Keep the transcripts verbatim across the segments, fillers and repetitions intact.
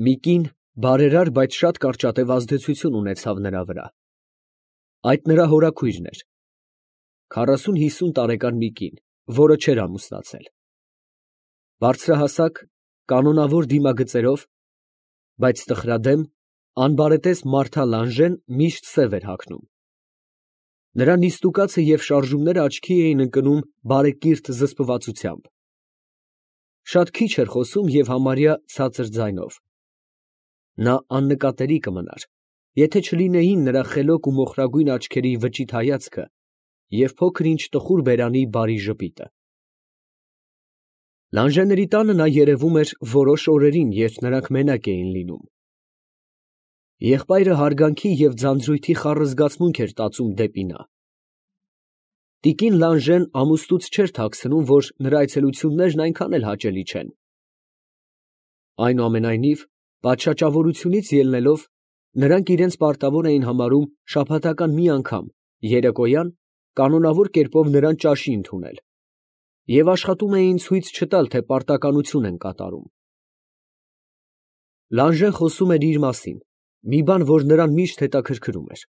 Մի կին բարերար, բայց շատ կարճատև ազդեցություն ունեցավ նրա վրա. այդ նրա հորաքույրն էր, քառասուն֊հիսուն տարեկան մի կին, որը չէր ամուսնացել, բարձրահասակ, կանոնավոր դիմագծերով, բայց տխրադեմ, անբարետես Մարթա Լանժեն միշտ սև էր հագնում. նրա նիստուկացը և շարժումները աչքի էին ընկնում բարեկիրթ զսպվածությամբ, շատ քիչ էր խոսում և համարյա ցածր ձայնով. նա աննկատելի կմնար, եթե չլինեին նրա խելոք ու մոխրագույն աչքերի վճիտ հայացքը և փոքր ինչ տխուր բերանի բարի ժպիտը։ Լանժեների տանը նա երևում էր որոշ օրերին, երբ նրանք մենակ էին լինում։ Եղբայրը հարգանքի և ձանձրույթի խառը զգացմունք էր տածում դեպի նա։ Տիկին Լանժեն ամուսնուց չէր թաքցնում, որ նրա այցելություններն այնքան էլ հաճելի չեն։ Այնուամենայնիվ, պատշաճավորությունից ելնելով, նրանք իրենց պարտավոր էին համարում շաբաթական մի անգամ, երեկոյան, կանոնավոր կերպով նրան ճաշի ընդունել և աշխատում էին ցույց չտալ, թե պարտականություն են կատարում։ Լանժեն խոսում էր իր մասին, մի բան, որ նրան միշտ հետաքրքրում էր։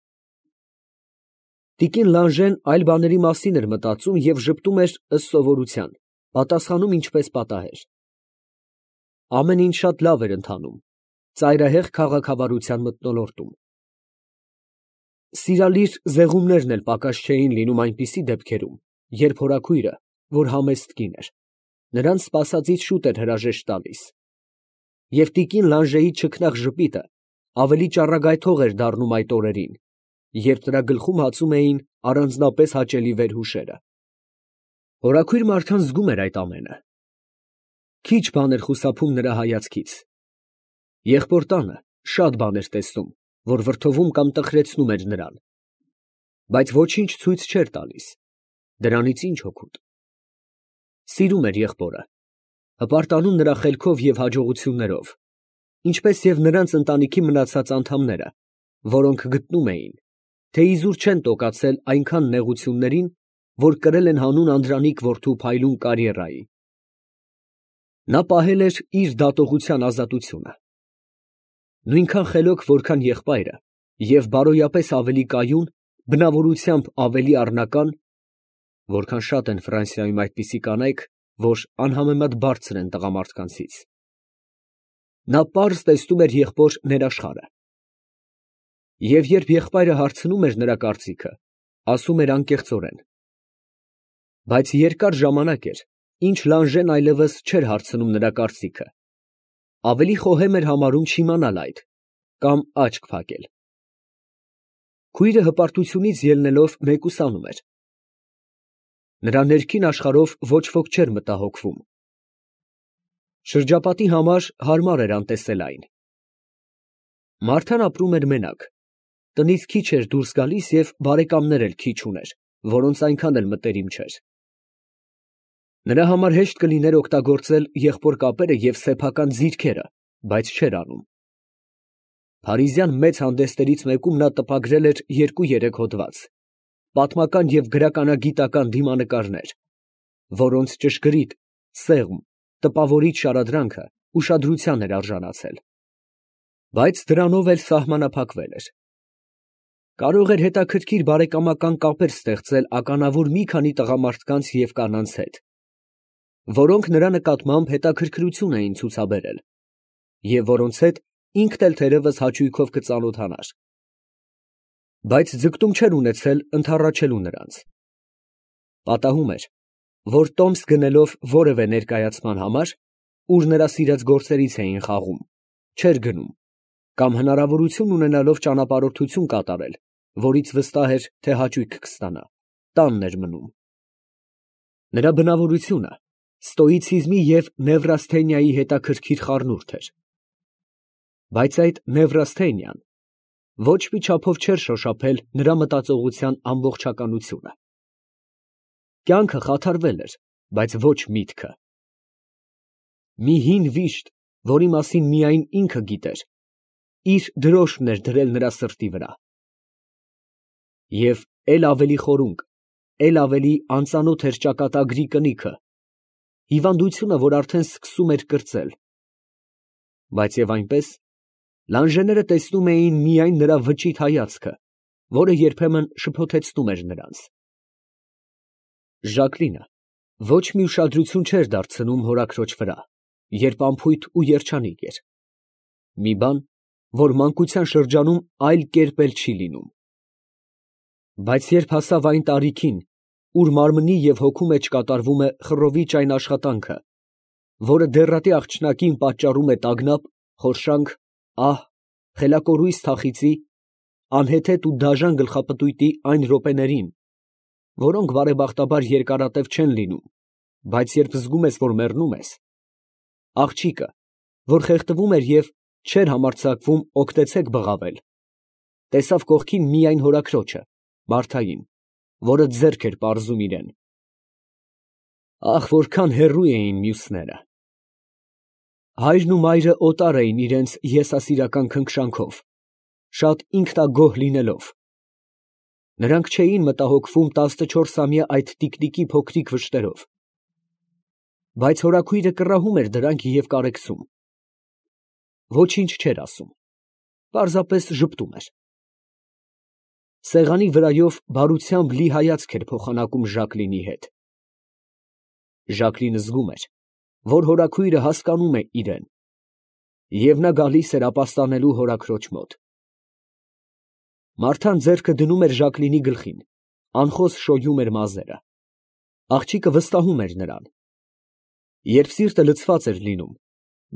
Տիկին Լանժեն այլ բաների մասին էր մտածում և ժպտում էր ըստ սովորության, պատասխանում ինչպես պատահեր։ Ամեն ինչ շատ լավ էր ընթանում, ծայրահեղ քաղաքավարության մթնոլորտում։ Սիրալիր զեղումներն էլ պակաս չէին լինում այնպիսի դեպքերում, երբ հորաքույրը, որ համեստ կին էր, նրան սպասածից շուտ էր հրաժեշտ տալիս, և տիկին Լանժեի չքնաղ ժպիտը ավելի ճառագայթող էր դառնում այդ օրերին, երբ նրա գլխում հացում էին առանձնապես հաճելի վերհուշերը։ Հորաքույր Մարթան զգում էր այդ ամենը։ Քիչ բան էր խուսափում նրա հայացքից։ Եղբոր տանը շատ բան էր տեսնում, որ վրդովում կամ տխրեցնում էր նրան, բայց ոչինչ ցույց չէր տալիս, դրանից ինչ օգուտ։ Սիրում էր եղբորը, հպարտանում նրա խելքով և հաջողություններով, ինչպես և նրանց ընտանիքի մնացած անդամները, որոնք գտնում էին, թե իզուր չեն տոկացել այնքան նեղություններին, որ կրել են հանուն անդրանիկ որդու փայլուն կարիերայի։ Նա պահել էր իր դատողության ազատությունը։ Նույնքան խելոք, որքան եղբայրը, և բարոյապես ավելի կայուն, բնավորությամբ ավելի առնական, որքան շատ են Ֆրանսիայում այդպիսի կանայք, որ անհամեմատ բարձր են տղամարդկանցից։ Նա պարզ տեսնում էր եղբոր ներաշխարհը։ Եվ երբ եղբայրը հարցնում էր նրա կարծիքը, ասում էր անկեղծորեն։ Բայց երկար ժամանակ էր, ինչ Լանժեն այլևս չէր հարցնում նրա կարծիքը, ավելի խոհեմ էր համարում չիմանալ այդ, կամ աչք փակել։ Քույրը հպարտությունից ելնելով մեկուսանում էր։ Նրա ներքին աշխարհով ոչ ոք չէր մտահոգվում։ Շրջապատի համար հարմար էր անտեսել այն։ Մարթան ապրում էր մենակ, տնից քիչ էր դուրս գալիս և բարեկամներ էլ քիչ ուներ, որոնց այնքան էլ մտերիմ չէր։ Նրա համար հեշտ կլիներ օգտագործել եղբոր կապերը և սեփական ձիրքերը, բայց չէր անում։ Փարիզյան մեծ հանդեսներից մեկում նա տպագրել էր երկու֊երեք հոդված, պատմական և գրականագիտական դիմանկարներ, որոնց ճշգրիտ, սեղմ, տպավորիչ շարադրանքը ուշադրության էր արժանացել։ Բայց դրանով էլ սահմանափակվել էր։ Կարող էր հետաքրքիր բարեկամական կապեր ստեղծել ականավոր մի քանի տղամարդկանց և կանանց հետ, որոնք նրա նկատմամբ հետաքրքրություն էին ցուցաբերել, և որոնց հետ ինքն էլ թերևս հաճույքով կծանոթանար։ Բայց ձգտում չէր ունեցել ընդառաջելու նրանց։ Պատահում էր, որ տոմս գնելով որևէ ներկայացման համար, ուր նրա սիրած գործերից էին խաղում, չէր գնում, կամ հնարավորություն ունենալով ճանապարհորդություն կատարել, որից վստահ էր, թե հաճույք կստանա, տանն էր մնում։ Նրա բնավորությունը ստոիցիզմի և նևրասթենիայի հետաքրքիր խառնուրդ էր։ Բայց այդ նևրասթենիան ոչ մի չափով չէր շոշափել նրա մտածողության ամբողջականությունը։ Կյանքը խաթարվել էր, բայց ոչ միտքը։ Մի հին վիշտ, որի մասին միայն ինքը գիտեր, իր դրոշն էր դրել նրա սրտի վրա։ Եվ էլ ավելի խորունկ, էլ ավելի անծանոթ էր ճակատագրի կնիքը, հիվանդությունը, որ արդեն սկսում էր կրծել։ Բայց և այնպես, լանջեները տեսնում էին միայն նրա վճիտ հայացքը, որը երբեմն շփոթեցնում էր նրանց։ Ժակլինը ոչ մի ուշադրություն չէր դարձնում հորաքրոջ վրա, երբ անփույթ ու երջանիկ էր, մի բան, որ մանկության շրջանում այլ կերպ էլ չի լինում։ Բայց երբ հասավ այն տարիքին, ուր մարմնի և հոգու մեջ կատարվում է խռովիչ այն աշխատանքը, որը դեռատի աղջնակին պատճառում է տագնապ, խորշանք, ահ, խելակորույս թախիծի, անհեթեթ ու դաժան գլխապտույտի այն րոպեներին, որոնք բարեբախտաբար երկարատև չեն լինում, բայց երբ զգում ես, որ մեռնում ես, աղջիկը, որ խեղդվում էր և չէր համարձակվում օգտեցեք բղավել, տեսավ կողքին միայն հորաքրոջը, Մարթային, որը ձեռք էր պարզում իրան։ Ահ, որքան հեռու էին մյուսները։ Հայրն ու մայրը օտար էին իրենց եսասիրական քնքշանքով, շատ ինքնագոհ լինելով։ Նրանք չէին մտահոգվում տասնչորսամյա այդ տիկնիկի փոքրիկ վշտերով, բայց հորաքույրը կռահում էր դրանք և կարեկցում։ Ոչինչ չէր ասում, պարզապես ժպտում էր։ Սեղանի վրայով բարությամբ լի հայացք էր փոխանակում Ժակլինի հետ։ Ժակլինը զգում էր, որ հորաքույրը հասկանում է իրեն, և նա գալիս էր ապաստանելու հորաքրոջ մոտ։ Մարթան ձեռքը դնում էր Ժակլինի գլխին, անխոս շոյում էր մազերը։ Աղջիկը վստահում էր նրան։ Երբ սիրտը լցված էր լինում,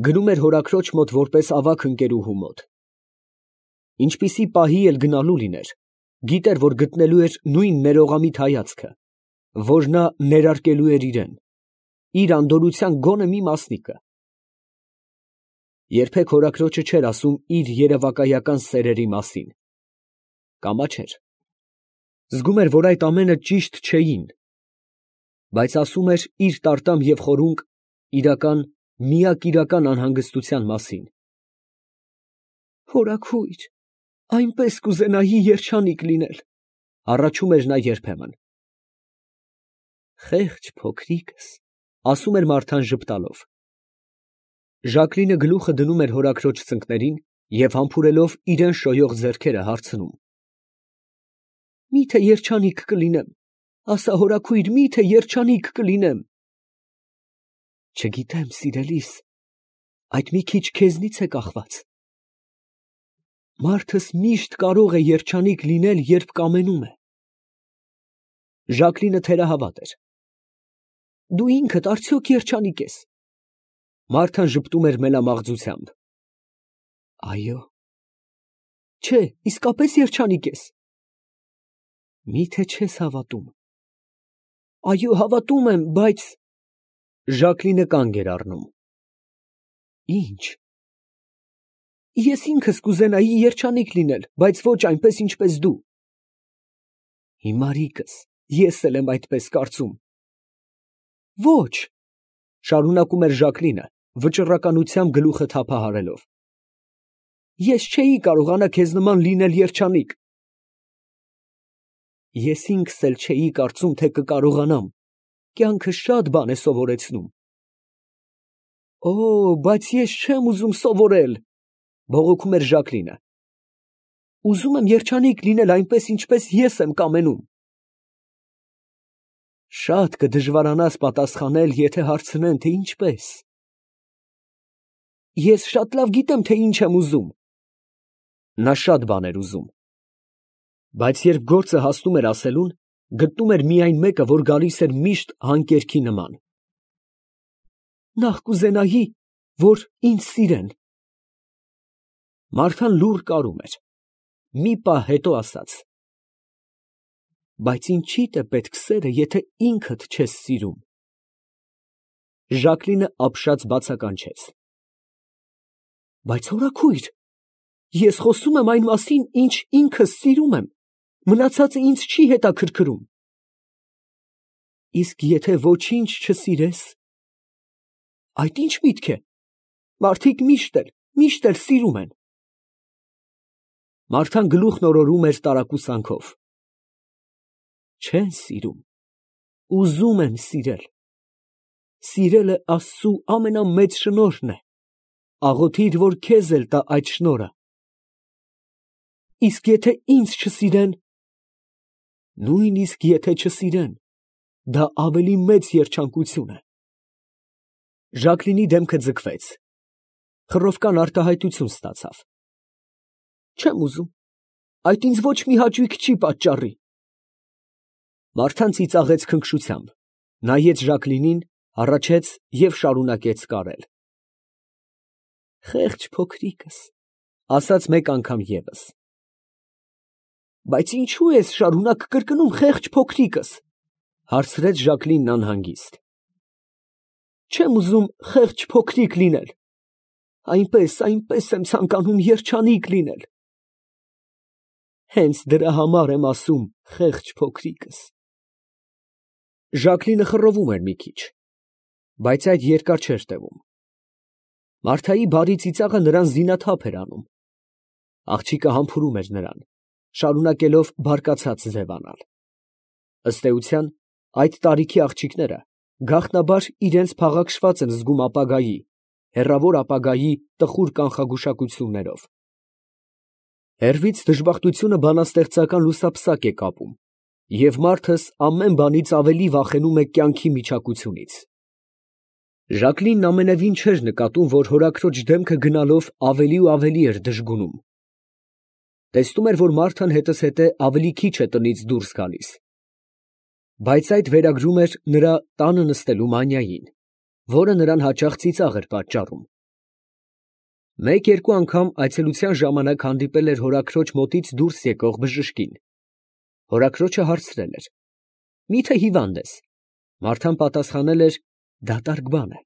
գնում էր հորաքրոջ մոտ որպես ավագ ընկերուհու մոտ։ Ինչպիսի պահի էլ գնալու լիներ, գիտեր, որ գտնելու էր նույն ներողամիտ հայացքը, որ նա ներարկելու էր իրան, իր անդորրության գոնե մի մասնիկը։ Երբեք հորաքրոջը չէր ասում իր երևակայական սերերի մասին։ Կամա չէր։ Զգում էր, որ այդ ամենը ճիշտ չէին, բայց ասում էր իր տարտամ և խորունկ, իրական, միակ իրական անհանգստության մասին։ Հորաքույր, այնպես կուզենայի երջանիկ լինել, հառաչում էր նա երբեմն։ Խեղճ փոքրիկս, ասում էր Մարթան ժպտալով։ Ժակլինը գլուխը դնում էր հորաքրոջ ծնկներին և համբուրելով իրան շոյող ձեռքերը հարցնում. Մի՞թե երջանիկ կլինեմ, ասա հորաքույր, մի՞թե երջանիկ կլինեմ։ Չգիտեմ, սիրելիս, այդ մի քիչ քեզնից է կախված։ Մարդս միշտ կարող է երջանիկ լինել, երբ կամենում է։ Ժակլինը թերահավատ էր։ Դու ինքդ արդյոք երջանիկ ես։ Մարթան ժպտում էր մելամաղձությամբ։ Այո։ Չէ, իսկապես երջանիկ ես։ Մի՞թե չես հավատում։ Այո, հավատում եմ, բայց… Ժակլինը կանգ էր առնում։ Ինչ։ Ես ինքս կուզենայի երջանիկ լինել, բայց ոչ այնպես, ինչպես դու։ Հիմարիկս, ես էլ եմ այդպես կարծում։ Ոչ, շարունակում էր Ժակլինը, վճռականությամբ գլուխը թափահարելով։ Ես չէի կարողանա քեզ նման լինել երջանիկ։ Ես ինքս էլ չէի կարծում, թե կկարողանամ, կյանքը շատ բան է սովորեցնում։ Օ, բայց ես չեմ ուզում սովորել, բողոքում էր Ժակլինը։ Ուզում եմ երջանիկ լինել այնպես, ինչպես ես եմ կամենում։ Շատ կդժվարանաս պատասխանել, եթե հարցնեն, թե ինչպես։ Ես շատ լավ գիտեմ, թե ինչ եմ ուզում։ Նա շատ բան էր ուզում, բայց երբ գործը հասնում էր ասելուն, գտնում էր միայն մեկը, որ գալիս էր միշտ հանկերքի նման։ Նախ կուզենայի, որ ինձ սիրեն։ Մարթան լուռ կարում էր, մի պահ հետո ասաց. Բայց ինչի՞դ է պետք սերը, եթե ինքդ չես սիրում։ Ժակլինը ապշած բացականչեց. Բայց հորաքույր, ես խոսում եմ այն մասին, ինչ ինքս սիրում եմ, մնացածը ինձ չի հետաքրքրում։ Իսկ եթե ոչինչ չսիրես, այդ ի՞նչ միտք է, մարդիկ միշտ էլ, միշտ էլ սիրում են։ Մարթան գլուխն օրորում էր տարակուսանքով։ Չեն սիրում, ուզում են սիրել։ Սիրելը Աստծու ամենամեծ շնորհն է։ աղոթիր, որ քեզ էլ տա այդ շնորհը։ Իսկ եթե ինձ չսիրեն, նույնիսկ եթե չսիրեն, դա ավելի մեծ երջանկություն է։ Ժակլինի դեմքը ձգվեց, խռովկան արտահայտություն ստացավ։ Չեմ ուզում, այդ ինձ ոչ մի հաճույք չի պատճառի։ Մարթան ծիծաղեց քնքշությամբ, նայեց Ժակլինին, հառաչեց և շարունակեց կարել։ Խեղճ փոքրիկս, ասաց մեկ անգամ ևս։ Բայց ինչու ես շարունակ կրկնում խեղճ փոքրիկս, հարցրեց Ժակլինն անհանգիստ։ Չեմ ուզում խեղճ փոքրիկ լինել, այնպես, այնպես եմ ցանկանում երջանիկ լինել։ Հենց դրա համար եմ ասում խեղճ փոքրիկս։ Ժակլինը խռովում էր մի քիչ, բայց այդ երկար չէր տևում։ Մարթայի բարի ծիծաղը նրան զինաթափ էր անում։ Աղջիկը համբուրում էր նրան, շարունակելով բարկացած ձևանալ։ Ըստ էության, այդ տարիքի աղջիկները գաղտնաբար իրենց փաղաքշված են զգում ապագայի, հեռավոր ապագայի տխուր կանխագուշակություններով։ Հեռվից դժբախտությունը բանաստեղծական լուսապսակ է կապում, և մարդս ամեն բանից ավելի վախենում է կյանքի միջակությունից։ Ժակլինն ամենևին չէր նկատում, որ հորաքրոջ դեմքը գնալով ավելի ու ավելի էր դժգունում։ Տեսնում էր, որ Մարթան հետզհետե ավելի քիչ է տնից դուրս գալիս։ Բայց այդ վերագրում էր նրա տանը նստելու մանիային, որը նրան հաճախ ծիծաղ էր պատճառում։ Մեկ֊երկու անգամ այցելության ժամանակ հանդիպել էր հորաքրոջ մոտից դուրս եկող բժշկին։ Հորաքրոջը հարցրել էր. Մի՞թե հիվանդ ես։ Մարթան պատասխանել էր. դատարկ բան է։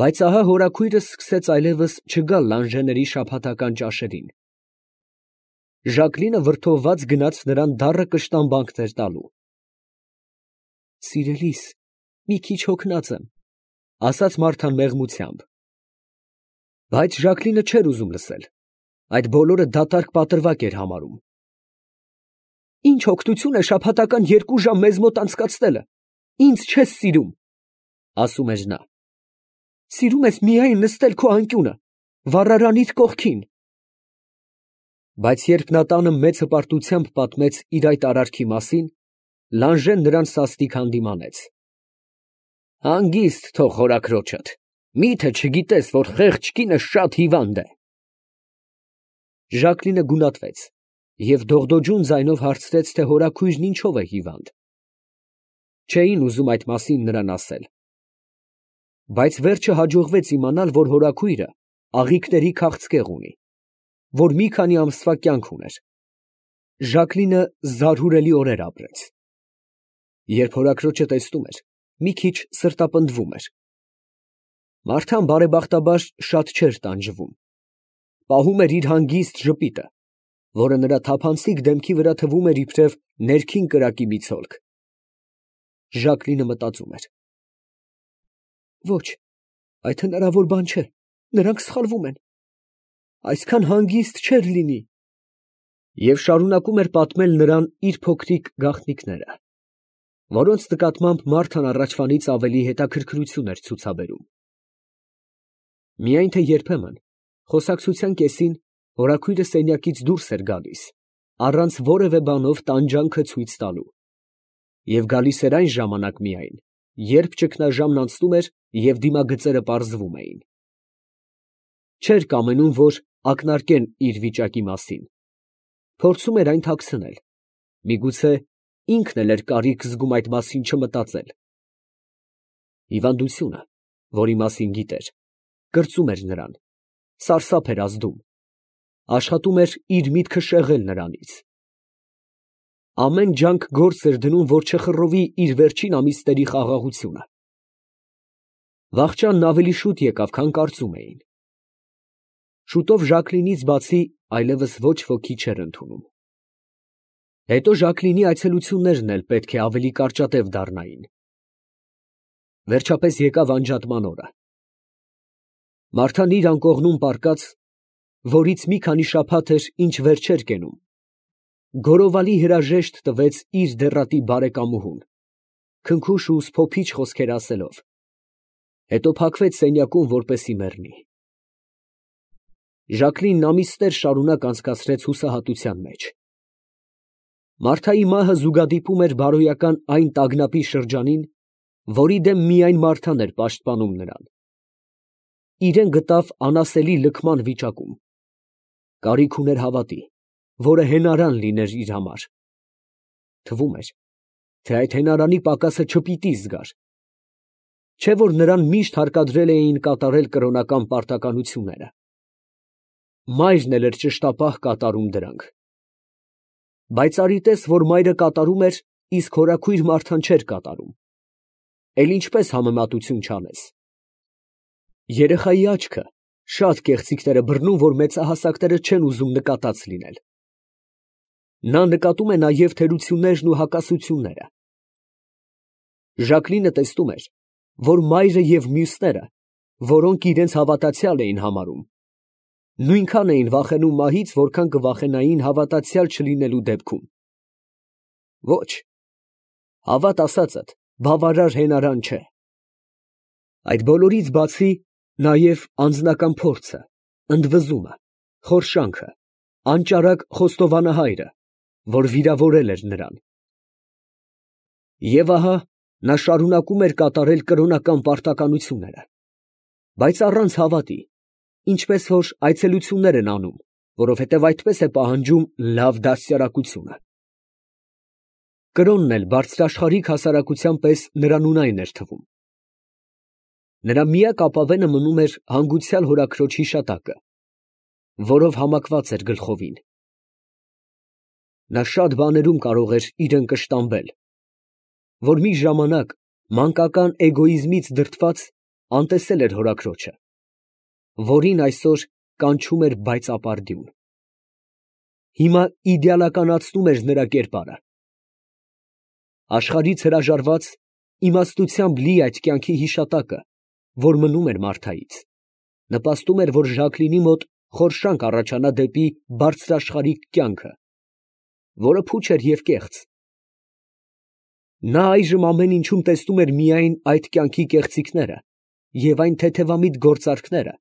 Բայց ահա հորաքույրը սկսեց այլևս չգալ լանժեների շաբաթական ճաշերին։ Ժակլինը վրդովված գնաց նրան դառը կշտամբանքներ տալու։ Սիրելիս, մի քիչ հոգնած եմ, ասաց Մարթան մեղմությամբ։ Բայց Ժակլինը չէր ուզում լսել, այդ բոլորը դատարկ պատրվակ էր համարում։ Ինչ օգնություն է շաբաթական երկու ժամ մեզ մոտ անցկացնելը, ինձ չես սիրում, ասում էր նա։ Սիրում ես միայն նստել քո անկյունը, վառարանիդ կողքին։ Բայց երբ նա տանը մեծ հպարտությամբ պատմեց իր այդ արարքի մասին, Լանժեն նրան սաստիկ հանդիմանեց։ Հանգիստ թող հորաքրոջդ, միթե չգիտես, որ խեղճ կինը շատ հիվանդ է։ Ժակլինը գունատվեց և դողդոջուն ձայնով հարցրեց, թե հորաքույրն ինչով է հիվանդ։ Չէին ուզում այդ մասին նրան ասել։ Բայց վերջը հաջողվեց իմանալ, որ հորաքույրը աղիքների քաղցկեղ ունի, որ մի քանի ամսվա կյանք ուներ։ Ժակլինը զարհուրելի օրեր ապրեց։ Երբ հորաքրոջը տեսնում էր, մի քիչ սրտապնդվում էր։ Մարթան բարեբախտաբար շատ չէր տանջվում։ Պահում էր իր հանգիստ ժպիտը, որը նրա թափանցիկ դեմքի վրա թվում էր իբրև ներքին կրակի մի ցոլք։ Ժակլինը մտածում էր. Ոչ, այդ հնարավոր բան չէ, նրանք սխալվում են, այսքան հանգիստ չէր լինի։ Եվ շարունակում էր պատմել նրան իր փոքրիկ գաղտնիքները, որոնց նկատմամբ Մարթան առաջվանից ավելի հետաքրքրություն էր ցուցաբերում։ Միայն թե երբեմն, խոսակցության կեսին, հորաքույրը սենյակից դուրս էր գալիս, առանց որևէ բանով տանջանքը ցույց տալու, և գալիս էր այն ժամանակ միայն, երբ ճգնաժամն անցնում էր և դիմագծերը պարզվում էին։ Չէր կամենում, որ ակնարկեն իր վիճակի մասին։ Փորձում էր այն թաքցնել, միգուցե ինքն էլ էր կարիք զգում այդ մասին չմտածել։ Հիվանդությունը, որի մասին գիտեր, կրծում էր նրան, սարսափ էր ազդում, աշխատում էր իր միտքը շեղել նրանից։ Ամեն ջանք գործ էր դնում, որ չխռովի իր վերջին ամիսների խաղաղությունը։ Վախճանն ավելի շուտ եկավ, քան կարծում էին։ Շուտով Ժակլինից բացի այլևս ոչ ոքի չէր ընդունում։ Հետո Ժակլինի այցելություններն էլ պետք է ավելի կարճատև դառնային։ Վերջապես եկավ անջատման օրը։ Մարթան իր անկողնում պառկած, որից մի քանի շաբաթ էր, ինչ վեր չէր կենում, գորովալի հրաժեշտ տվեց իր դեռատի բարեկամուհուն, քնքուշ ու սփոփիչ խոսքեր ասելով։ հետո փակվեց սենյակում, որպեսզի մեռնի։ Ժակլինն ամիսներ շարունակ անցկացրեց հուսահատության մեջ։ Մարթայի մահը զուգադիպում էր բարոյական այն տագնապի շրջանին, որի դեմ միայն Մարթան էր պաշտպանում նրան։ Իրեն գտավ անասելի լքման վիճակում։ Կարիք ուներ հավատի, որը հենարան լիներ իր համար։ Թվում էր, թե այդ հենարանի պակասը չպիտի զգար։ Չէ՞ որ նրան միշտ հարկադրել էին կատարել կրոնական պարտականությունները։ Մայրն էլ էր ճշտապահ կատարում դրանք։ Բայց արի տես, որ մայրը կատարում էր, իսկ հորաքույր Մարթան չէր կատարում։ Էլ ինչպես համեմատություն չանես։ Երեխայի աչքը շատ կեղծիքներ է բռնում, որ մեծահասակները չեն ուզում նկատած լինել։ Նա նկատում է նաև թերություններն ու հակասությունները։ Ժակլինը տեսնում էր, որ մայրը և մյուսները, որոնք իրենց հավատացյալ էին համարում, նույնքան էին վախենում մահից, որքան կվախենային հավատացյալ չլինելու դեպքում։ Ոչ, հավատ ասածդ բավարար հենարան չէ։ Այդ բոլորից բացի նաև անձնական փորձը, ընդվզումը, խորշանքը, անճարակ խոստովանահայրը, որ վիրավորել էր նրան։ Եվ ահա նա շարունակում էր կատարել կրոնական պարտականությունները, բայց առանց հավատի, ինչպես որ այցելություններ են անում, որովհետև այդպես է պահանջում լավ դաստիարակությունը։ Կրոնն էլ բարձրաշխարհիկ հասարակության պես նրան ունայն էր թվում։ Նրա միակ ապավենը մնում էր հանգուցյալ հորաքրոջ հիշատակը, որով համակված էր գլխովին։ Նա շատ բաներում կարող էր իրեն կշտամբել, որ մի ժամանակ մանկական էգոիզմից դրդված անտեսել էր հորաքրոջը, որին այսօր կանչում էր բայծապարդյուն։ Հիմա իդեալականացնում էր նրա կերպարը։ Աշխարհից հրաժարված, իմաստությամբ լի այդ կյանքի հիշատակը, որ մնում էր Մարթայից, նպաստում էր, որ Ժակլինի մոտ խորշանք առաջանա դեպի բարձրաշխարհիկ կյանքը, որը փուչ էր և կեղծ։ Նա այժմ ամեն ինչում տեսնում էր միայն այդ կյանքի կեղծիքները և այն թեթևամիտ գործարքները,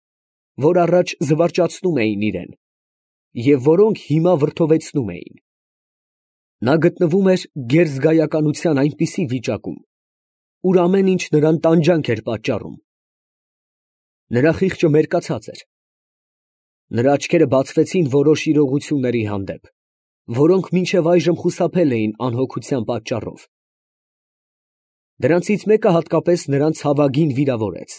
որ առաջ զվարճացնում էին իրեն, և որոնք հիմա վրդովեցնում էին։ Նա գտնվում էր գերզգայականության այնպիսի վիճակում, ուր ամեն ինչ նրան տանջանք էր պատճառում։ Նրա խիղճը մերկացած էր։ Նրա աչքերը բացվեցին որոշ իրողությունների հանդեպ, որոնք մինչև այժմ խուսափել էին անհոգության պատճառով։ Դրանցից մեկը հատկապես նրան ցավագին վիրավորեց։